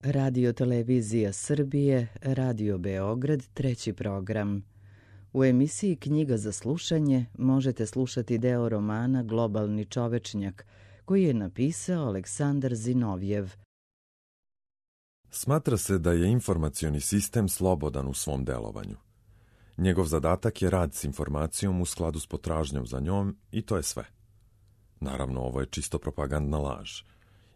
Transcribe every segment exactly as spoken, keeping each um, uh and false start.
Radio Televizija Srbije, Radio Beograd, treći program. U emisiji Knjiga za slušanje možete slušati deo romana Globalni čovečnjak, koji je napisao Aleksandar Zinovjev. Smatra se da je informacioni sistem slobodan u svom delovanju. Njegov zadatak je rad s informacijom u skladu s potražnjom za njom i to je sve. Naravno, ovo je čisto propagandna laž.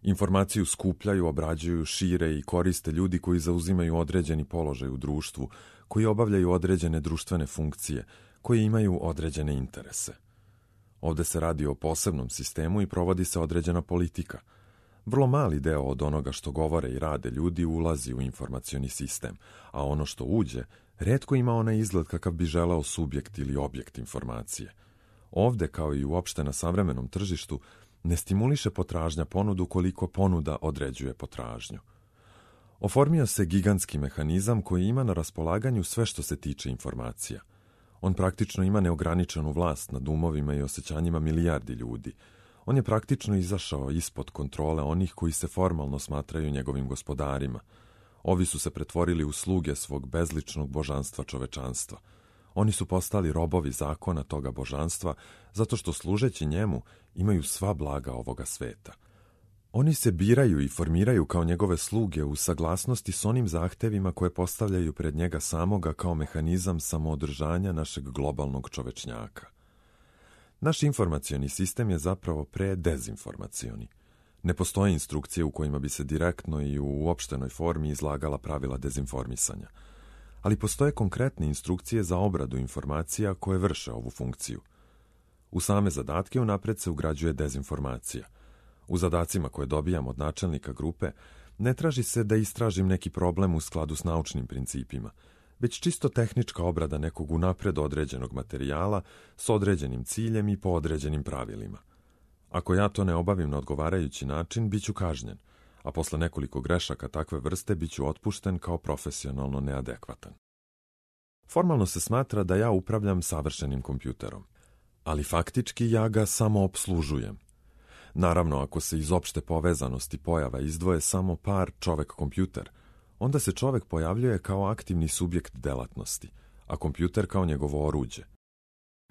Informaciju skupljaju, obrađuju, šire i koriste ljudi koji zauzimaju određeni položaj u društvu, koji obavljaju određene društvene funkcije, koji imaju određene interese. Ovde se radi o posebnom sistemu i provodi se određena politika. Vrlo mali deo od onoga što govore i rade ljudi ulazi u informacioni sistem, a ono što uđe, retko ima onaj izgled kakav bi želeo subjekt ili objekt informacije. Ovde, kao i uopšte na savremenom tržištu, ne stimuliše potražnja ponudu koliko ponuda određuje potražnju. Oformio se gigantski mehanizam koji ima na raspolaganju sve što se tiče informacija. On praktično ima neograničenu vlast nad umovima i osjećanjima milijardi ljudi. On je praktično izašao ispod kontrole onih koji se formalno smatraju njegovim gospodarima. Ovi su se pretvorili u sluge svog bezličnog božanstva čovečanstva. Oni su postali robovi zakona toga božanstva zato što služeći njemu imaju sva blaga ovoga sveta. Oni se biraju i formiraju kao njegove sluge u saglasnosti s onim zahtevima koje postavljaju pred njega samoga kao mehanizam samoodržanja našeg globalnog čovečnjaka. Naš informacioni sistem je zapravo predezinformacioni. Ne postoje instrukcije u kojima bi se direktno i u uopštenoj formi izlagala pravila dezinformisanja. Ali postoje konkretne instrukcije za obradu informacija koje vrše ovu funkciju. U same zadatke unapred se ugrađuje dezinformacija. U zadacima koje dobijam od načelnika grupe ne traži se da istražim neki problem u skladu s naučnim principima, već čisto tehnička obrada nekog unapred određenog materijala s određenim ciljem i po određenim pravilima. Ako ja to ne obavim na odgovarajući način, bit ću kažnjen, a posle nekoliko grešaka takve vrste bit ću otpušten kao profesionalno neadekvatan. Formalno se smatra da ja upravljam savršenim kompjuterom, ali faktički ja ga samo opslužujem. Naravno, ako se iz opšte povezanosti pojava izdvoje samo par čovek-kompjuter, onda se čovek pojavljuje kao aktivni subjekt delatnosti, a kompjuter kao njegovo oruđe.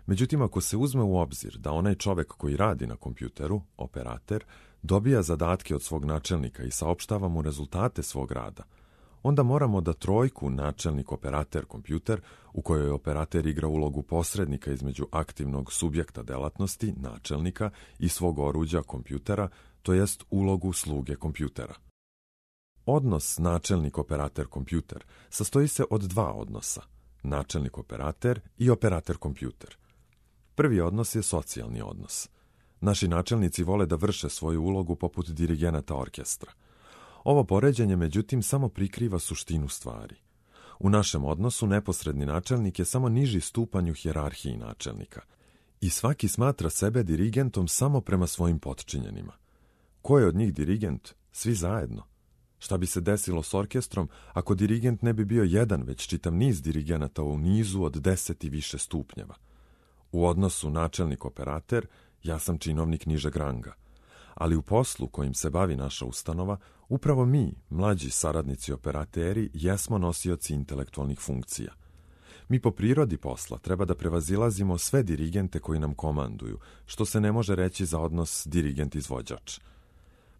Međutim, ako se uzme u obzir da onaj čovek koji radi na kompjuteru, operater, dobija zadatke od svog načelnika i saopštava mu rezultate svog rada, onda moramo da trojku načelnik operater kompjuter, u kojoj operater igra ulogu posrednika između aktivnog subjekta delatnosti, načelnika i svog oruđa kompjutera, to jest ulogu sluge kompjutera. Odnos načelnik operater kompjuter sastoji se od dva odnosa, načelnik operater i operater kompjuter. Prvi odnos je socijalni odnos. Naši načelnici vole da vrše svoju ulogu poput dirigenata orkestra. Ovo poređenje, međutim, samo prikriva suštinu stvari. U našem odnosu neposredni načelnik je samo niži stupanj u hijerarhiji načelnika i svaki smatra sebe dirigentom samo prema svojim potčinjenima. Ko je od njih dirigent? Svi zajedno. Šta bi se desilo s orkestrom ako dirigent ne bi bio jedan, već čitav niz dirigenata u nizu od deset i više stupnjeva? U odnosu načelnik-operater, ja sam činovnik nižeg ranga. Ali u poslu kojim se bavi naša ustanova, upravo mi, mlađi saradnici operateri, jesmo nosioci intelektualnih funkcija. Mi po prirodi posla treba da prevazilazimo sve dirigente koji nam komanduju, što se ne može reći za odnos dirigent-izvođač.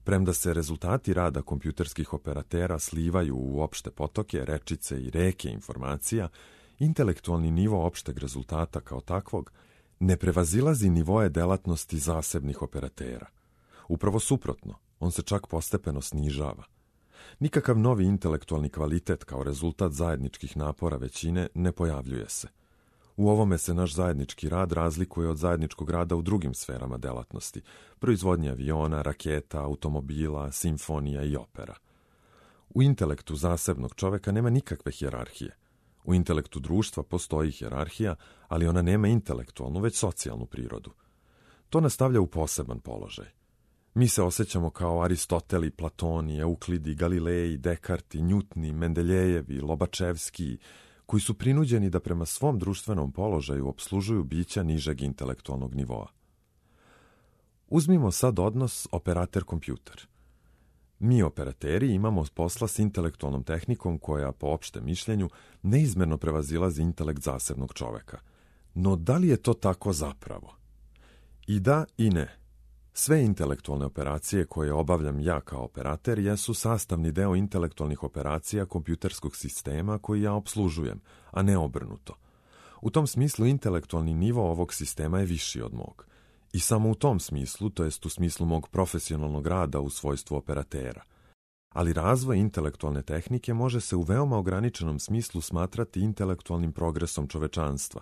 Premda se rezultati rada kompjuterskih operatera slivaju u opšte potoke, rečice i reke informacija, intelektualni nivo opšteg rezultata kao takvog ne prevazilazi nivoje delatnosti zasebnih operatera. Upravo suprotno, on se čak postepeno snižava. Nikakav novi intelektualni kvalitet kao rezultat zajedničkih napora većine ne pojavljuje se. U ovome se naš zajednički rad razlikuje od zajedničkog rada u drugim sferama delatnosti, proizvodnje aviona, raketa, automobila, simfonija i opera. U intelektu zasebnog čoveka nema nikakve hijerarhije. U intelektu društva postoji hijerarhija, ali ona nema intelektualnu, već socijalnu prirodu. To nas stavlja u poseban položaj. Mi se osjećamo kao Aristoteli, Platoni, Euklidi, Galileji, Dekarti, Njutni, Mendeljejevi, Lobačevski, koji su prinuđeni da prema svom društvenom položaju opslužuju bića nižeg intelektualnog nivoa. Uzmimo sad odnos operater-kompjuter. Mi operateri imamo posla s intelektualnom tehnikom koja, po opštem mišljenju, neizmerno prevazilazi intelekt zasebnog čoveka. No da li je to tako zapravo? I da i ne. Sve intelektualne operacije koje obavljam ja kao operater jesu sastavni deo intelektualnih operacija kompjuterskog sistema koji ja opslužujem, a ne obrnuto. U tom smislu intelektualni nivo ovog sistema je viši od mog. I samo u tom smislu, to jest u smislu mog profesionalnog rada u svojstvu operatera. Ali razvoj intelektualne tehnike može se u veoma ograničenom smislu smatrati intelektualnim progresom čovečanstva,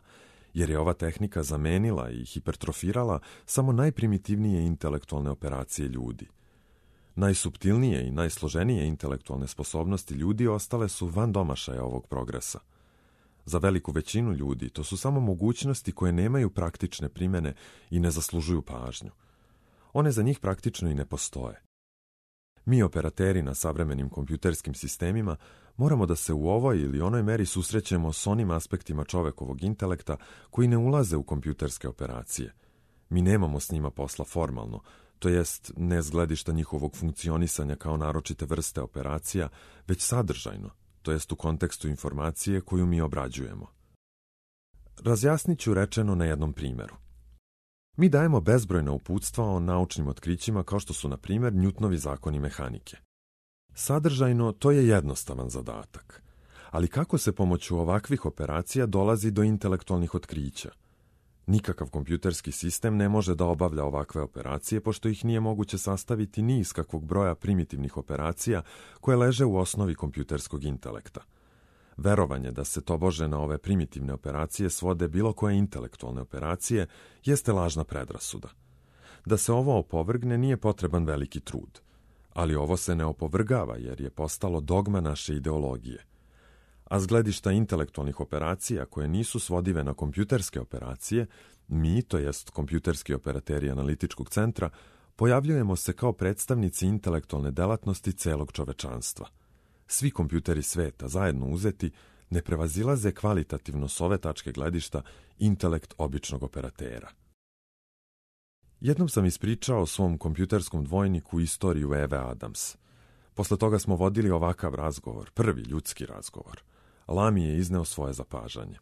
jer je ova tehnika zamenila i hipertrofirala samo najprimitivnije intelektualne operacije ljudi. Najsuptilnije i najsloženije intelektualne sposobnosti ljudi ostale su van domašaja ovog progresa. Za veliku većinu ljudi to su samo mogućnosti koje nemaju praktične primjene i ne zaslužuju pažnju. One za njih praktično i ne postoje. Mi, operateri na savremenim kompjuterskim sistemima, moramo da se u ovoj ili onoj meri susrećemo s onim aspektima čovekovog intelekta koji ne ulaze u kompjuterske operacije. Mi nemamo s njima posla formalno, to jest ne s gledišta njihovog funkcionisanja kao naročite vrste operacija, već sadržajno, to jest u kontekstu informacije koju mi obrađujemo. Razjasnit ću rečeno na jednom primjeru. Mi dajemo bezbrojna uputstva o naučnim otkrićima kao što su, na primjer, Newtonovi zakoni mehanike. Sadržajno, to je jednostavan zadatak. Ali kako se pomoću ovakvih operacija dolazi do intelektualnih otkrića? Nikakav kompjuterski sistem ne može da obavlja ovakve operacije, pošto ih nije moguće sastaviti ni iz kakvog broja primitivnih operacija koje leže u osnovi kompjuterskog intelekta. Verovanje da se tobože na ove primitivne operacije svode bilo koje intelektualne operacije jeste lažna predrasuda. Da se ovo opovrgne nije potreban veliki trud, ali ovo se ne opovrgava jer je postalo dogma naše ideologije. A s gledišta intelektualnih operacija koje nisu svodive na kompjuterske operacije, mi, to jest kompjuterski operateri analitičkog centra, pojavljujemo se kao predstavnici intelektualne delatnosti celog čovečanstva. Svi kompjuteri sveta, zajedno uzeti, ne prevazilaze kvalitativno s ove tačke gledišta intelekt običnog operatera. Jednom sam ispričao svom kompjuterskom dvojniku istoriju Eve Adams. Posle toga smo vodili ovakav razgovor, prvi ljudski razgovor. Lami je izneo svoje zapažanje.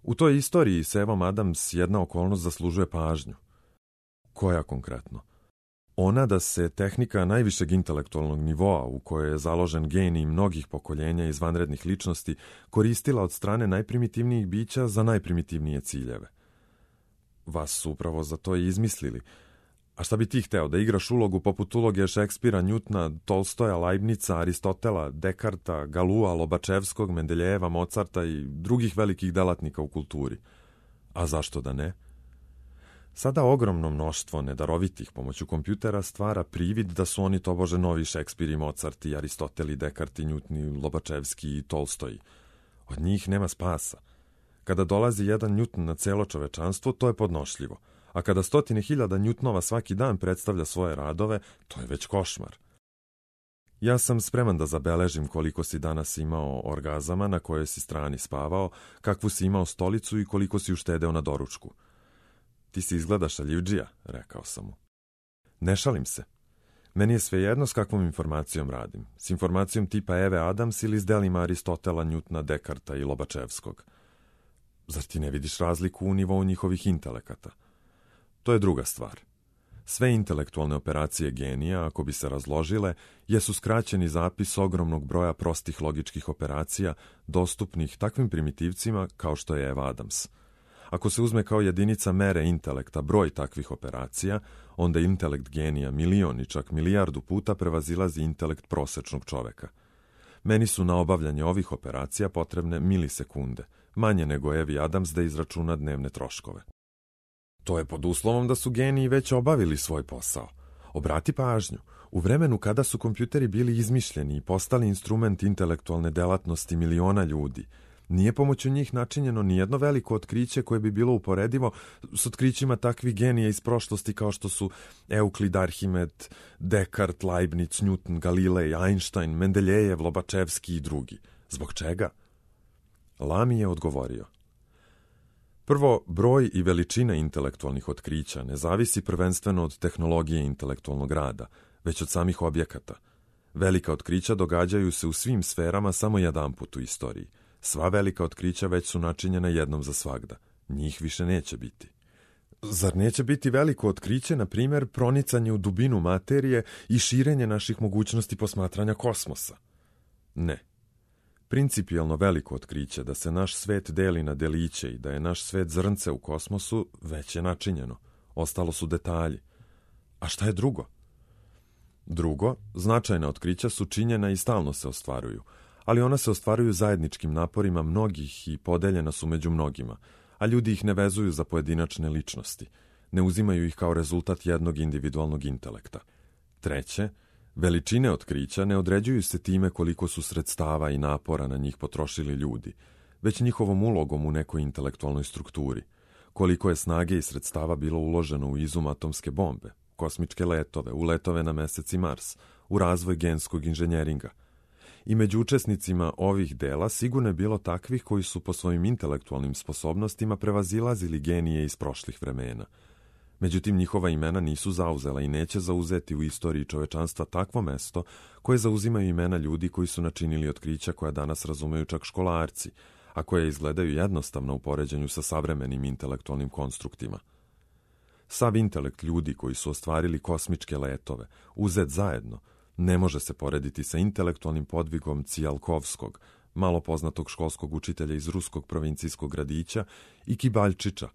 U toj istoriji s Evom Adams jedna okolnost zaslužuje pažnju. Koja konkretno? Ona da se tehnika najvišeg intelektualnog nivoa, u kojoj je založen genij mnogih pokoljenja izvanrednih ličnosti, koristila od strane najprimitivnijih bića za najprimitivnije ciljeve. Vas su upravo za to i izmislili. A šta bi ti hteo, da igraš ulogu poput uloge Šekspira, Newtona, Tolstoja, Leibnica, Aristotela, Dekarta, Galua, Lobačevskog, Mendeljeva, Mozarta i drugih velikih delatnika u kulturi? A zašto da ne? Sada ogromno mnoštvo nedarovitih pomoću kompjutera stvara privid da su oni tobože novi Šekspir i Mozart i Aristotel i Dekart i Newton i Lobačevski i Tolstoji. Od njih nema spasa. Kada dolazi jedan Newton na celo čovečanstvo, to je podnošljivo. A kada stotine hiljada Newtonova svaki dan predstavlja svoje radove, to je već košmar. Ja sam spreman da zabeležim koliko si danas imao orgazama, na kojoj si strani spavao, kakvu si imao stolicu i koliko si uštedeo na doručku. Ti si izgleda šaljivdžija, rekao sam mu. Ne šalim se. Meni je svejedno s kakvom informacijom radim. S informacijom tipa Eve Adams ili s delima Aristotela, Newtona, Dekarta i Lobačevskog. Zar ti ne vidiš razliku u nivou njihovih intelekata? To je druga stvar. Sve intelektualne operacije genija, ako bi se razložile, jesu skraćeni zapis ogromnog broja prostih logičkih operacija, dostupnih takvim primitivcima kao što je Eva Adams. Ako se uzme kao jedinica mere intelekta broj takvih operacija, onda intelekt genija milion i čak milijardu puta prevazilazi intelekt prosečnog čoveka. Meni su na obavljanje ovih operacija potrebne milisekunde, manje nego Evi Adams da izračuna dnevne troškove. To je pod uslovom da su geniji već obavili svoj posao. Obrati pažnju, u vremenu kada su kompjuteri bili izmišljeni i postali instrument intelektualne delatnosti miliona ljudi, nije pomoću njih načinjeno nijedno veliko otkriće koje bi bilo uporedivo s otkrićima takvih genija iz prošlosti kao što su Euklid, Arhimed, Dekart, Leibniz, Newton, Galilej, Einstein, Mendeljejev, Lobačevski i drugi. Zbog čega? Lami je odgovorio. Prvo, broj i veličina intelektualnih otkrića ne zavisi prvenstveno od tehnologije intelektualnog rada, već od samih objekata. Velika otkrića događaju se u svim sferama samo jedanput u istoriji. Sva velika otkrića već su načinjena jednom za svagda. Njih više neće biti. Zar neće biti veliko otkriće, na primjer, pronicanje u dubinu materije i širenje naših mogućnosti posmatranja kosmosa? Ne. Principijelno veliko otkriće da se naš svet deli na deliće i da je naš svet zrnce u kosmosu već je načinjeno. Ostalo su detalji. A šta je drugo? Drugo, značajna otkrića su činjena i stalno se ostvaruju, ali ona se ostvaruju zajedničkim naporima mnogih i podeljena su među mnogima, a ljudi ih ne vezuju za pojedinačne ličnosti, ne uzimaju ih kao rezultat jednog individualnog intelekta. Treće, veličine otkrića ne određuju se time koliko su sredstava i napora na njih potrošili ljudi, već njihovom ulogom u nekoj intelektualnoj strukturi, koliko je snage i sredstava bilo uloženo u izum atomske bombe, kosmičke letove, u letove na Mesec i Mars, u razvoj genskog inženjeringa. I među učesnicima ovih dela sigurno je bilo takvih koji su po svojim intelektualnim sposobnostima prevazilazili genije iz prošlih vremena. Međutim, njihova imena nisu zauzela i neće zauzeti u istoriji čovečanstva takvo mesto koje zauzimaju imena ljudi koji su načinili otkrića koja danas razumeju čak školarci, a koje izgledaju jednostavno u poređenju sa savremenim intelektualnim konstruktima. Sav intelekt ljudi koji su ostvarili kosmičke letove, uzet zajedno, ne može se porediti sa intelektualnim podvigom Cijalkovskog, malo poznatog školskog učitelja iz ruskog provincijskog gradića, i Kibaljčića,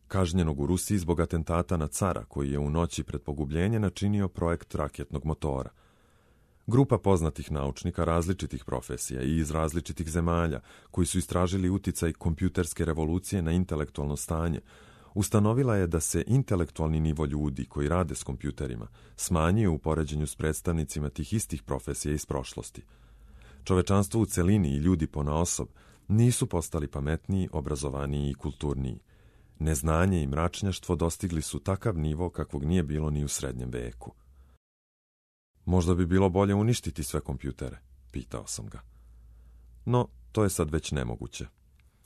kažnjenog u Rusiji zbog atentata na cara koji je u noći pred pogubljenje načinio projekt raketnog motora. Grupa poznatih naučnika različitih profesija i iz različitih zemalja koji su istražili uticaj kompjuterske revolucije na intelektualno stanje, ustanovila je da se intelektualni nivo ljudi koji rade s kompjuterima smanjio u poređenju s predstavnicima tih istih profesija iz prošlosti. Čovečanstvo u celini i ljudi ponaosob nisu postali pametniji, obrazovaniji i kulturniji. Neznanje i mračnjaštvo dostigli su takav nivo kakvog nije bilo ni u srednjem veku. Možda bi bilo bolje uništiti sve kompjutere, pitao sam ga. No, to je sad već nemoguće.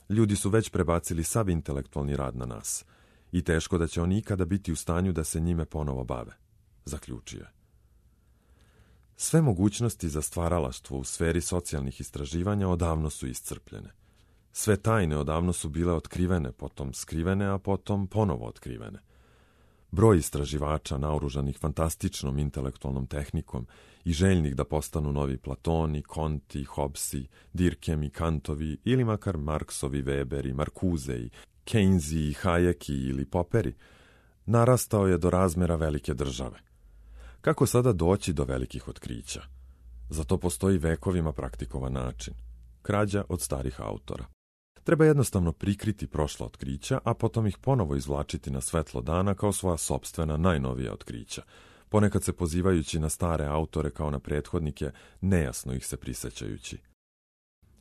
Ljudi su već prebacili sav intelektualni rad na nas i teško da će oni ikada biti u stanju da se njime ponovo bave, zaključio je. Sve mogućnosti za stvaralaštvo u sferi socijalnih istraživanja odavno su iscrpljene. Sve tajne odavno su bile otkrivene, potom skrivene, a potom ponovo otkrivene. Broj istraživača naoružanih fantastičnom intelektualnom tehnikom i željnih da postanu novi Platoni, Konti, Hobbesi, Dirkemi, Kantovi ili makar Marksovi, Weberi, Marcuzei, Keynesi, Hayeki ili Poperi, narastao je do razmera velike države. Kako sada doći do velikih otkrića? Za to postoji vekovima praktikovan način. Krađa od starih autora. Treba jednostavno prikriti prošla otkrića, a potom ih ponovo izvlačiti na svetlo dana kao svoja sopstvena najnovija otkrića, ponekad se pozivajući na stare autore kao na prethodnike, nejasno ih se prisjećajući.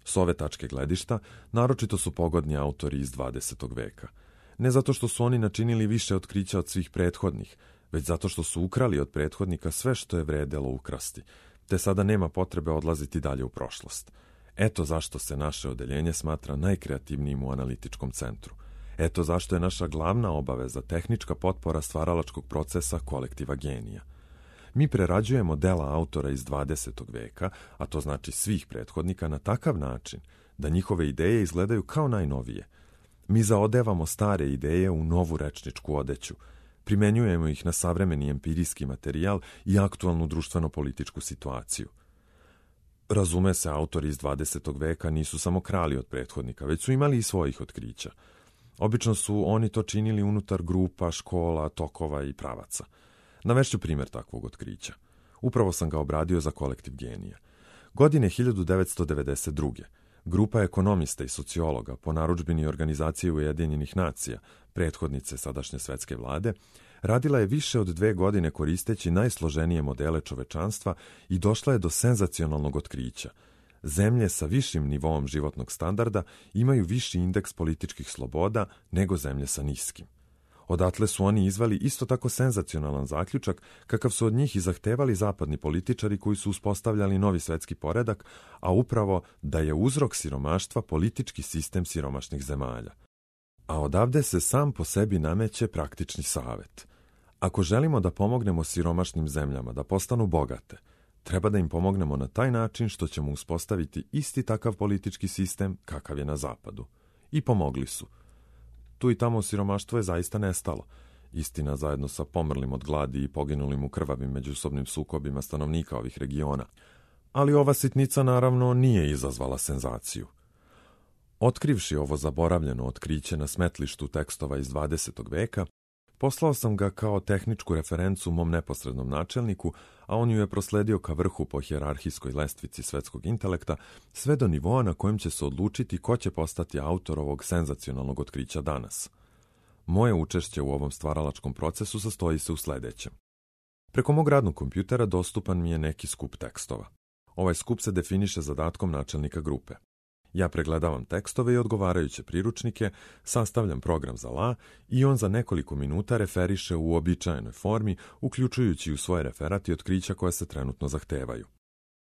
S ove tačke gledišta, naročito su pogodni autori iz dvadesetog veka. Ne zato što su oni načinili više otkrića od svih prethodnih, već zato što su ukrali od prethodnika sve što je vredelo ukrasti, te sada nema potrebe odlaziti dalje u prošlost. Eto zašto se naše odeljenje smatra najkreativnijim u analitičkom centru. Eto zašto je naša glavna obaveza tehnička potpora stvaralačkog procesa kolektiva genija. Mi prerađujemo dela autora iz dvadesetog veka, a to znači svih prethodnika, na takav način da njihove ideje izgledaju kao najnovije. Mi zaodevamo stare ideje u novu rečničku odeću, primenjujemo ih na savremeni empirijski materijal i aktualnu društveno-političku situaciju. Razume se, autori iz dvadesetog veka nisu samo krali od prethodnika, već su imali i svojih otkrića. Obično su oni to činili unutar grupa, škola, tokova i pravaca. Navešću primjer takvog otkrića. Upravo sam ga obradio za kolektiv genija. Godine hiljadu devetsto devedeset druge. grupa ekonomista i sociologa po narudžbini Organizacije Ujedinjenih nacija, prethodnice sadašnje svetske vlade, radila je više od dve godine koristeći najsloženije modele čovečanstva i došla je do senzacionalnog otkrića. Zemlje sa višim nivoom životnog standarda imaju viši indeks političkih sloboda nego zemlje sa niskim. Odatle su oni izveli isto tako senzacionalan zaključak kakav su od njih i zahtevali zapadni političari koji su uspostavljali novi svetski poredak, a upravo da je uzrok siromaštva politički sistem siromašnih zemalja. A odavde se sam po sebi nameće praktični savet. Ako želimo da pomognemo siromašnim zemljama da postanu bogate, treba da im pomognemo na taj način što ćemo uspostaviti isti takav politički sistem kakav je na zapadu. I pomogli su. Tu i tamo siromaštvo je zaista nestalo. Istina, zajedno sa pomrlim od gladi i poginulim u krvavim međusobnim sukobima stanovnika ovih regiona. Ali ova sitnica naravno nije izazvala senzaciju. Otkrivši ovo zaboravljeno otkriće na smetlištu tekstova iz dvadesetog veka, poslao sam ga kao tehničku referencu mom neposrednom načelniku, a on ju je prosledio ka vrhu po hijerarhijskoj lestvici svetskog intelekta, sve do nivoa na kojem će se odlučiti ko će postati autor ovog senzacionalnog otkrića danas. Moje učešće u ovom stvaralačkom procesu sastoji se u sledećem. Preko mog radnog kompjutera dostupan mi je neki skup tekstova. Ovaj skup se definiše zadatkom načelnika grupe. Ja pregledavam tekstove i odgovarajuće priručnike, sastavljam program za la i on za nekoliko minuta referiše u uobičajenoj formi, uključujući u svoje referat i otkrića koja se trenutno zahtevaju.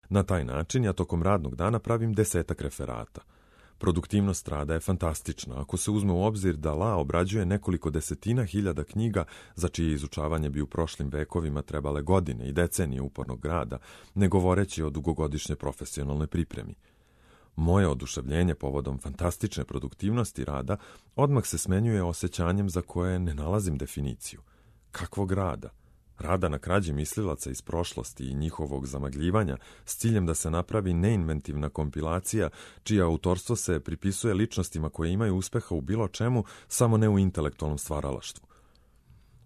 Na taj način ja tokom radnog dana pravim desetak referata. Produktivnost rada je fantastična ako se uzme u obzir da la obrađuje nekoliko desetina hiljada knjiga za čije izučavanje bi u prošlim vekovima trebale godine i decenije upornog rada, ne govoreći o dugogodišnjoj profesionalnoj pripremi. Moje oduševljenje povodom fantastične produktivnosti rada odmah se smenjuje osjećanjem za koje ne nalazim definiciju. Kakvog rada? Rada na krađi mislilaca iz prošlosti i njihovog zamagljivanja s ciljem da se napravi neinventivna kompilacija čije autorstvo se pripisuje ličnostima koje imaju uspeha u bilo čemu, samo ne u intelektualnom stvaralaštvu.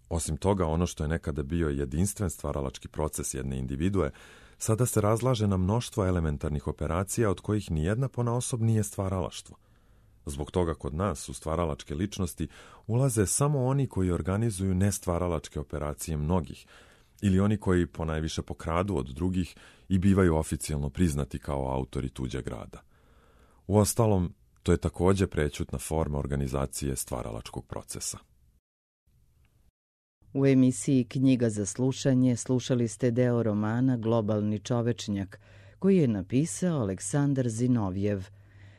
Osim toga, ono što je nekada bio jedinstven stvaralački proces jedne individue, sada se razlaže na mnoštvo elementarnih operacija od kojih nijedna ponaosob nije stvaralaštvo. Zbog toga kod nas u stvaralačke ličnosti ulaze samo oni koji organizuju nestvaralačke operacije mnogih, ili oni koji ponajviše pokradu od drugih i bivaju oficijalno priznati kao autori tuđeg rada. Uostalom, to je takođe prećutna forma organizacije stvaralačkog procesa. U emisiji Knjiga za slušanje slušali ste deo romana Globalni čovečnjak, koji je napisao Aleksandar Zinovjev.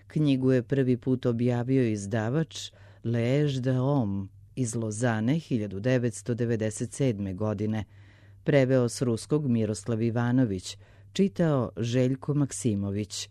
Knjigu je prvi put objavio izdavač Lež de Homme iz Lozane hiljadu devetsto devedeset sedme. godine. Preveo s ruskog Miroslav Ivanović, čitao Željko Maksimović.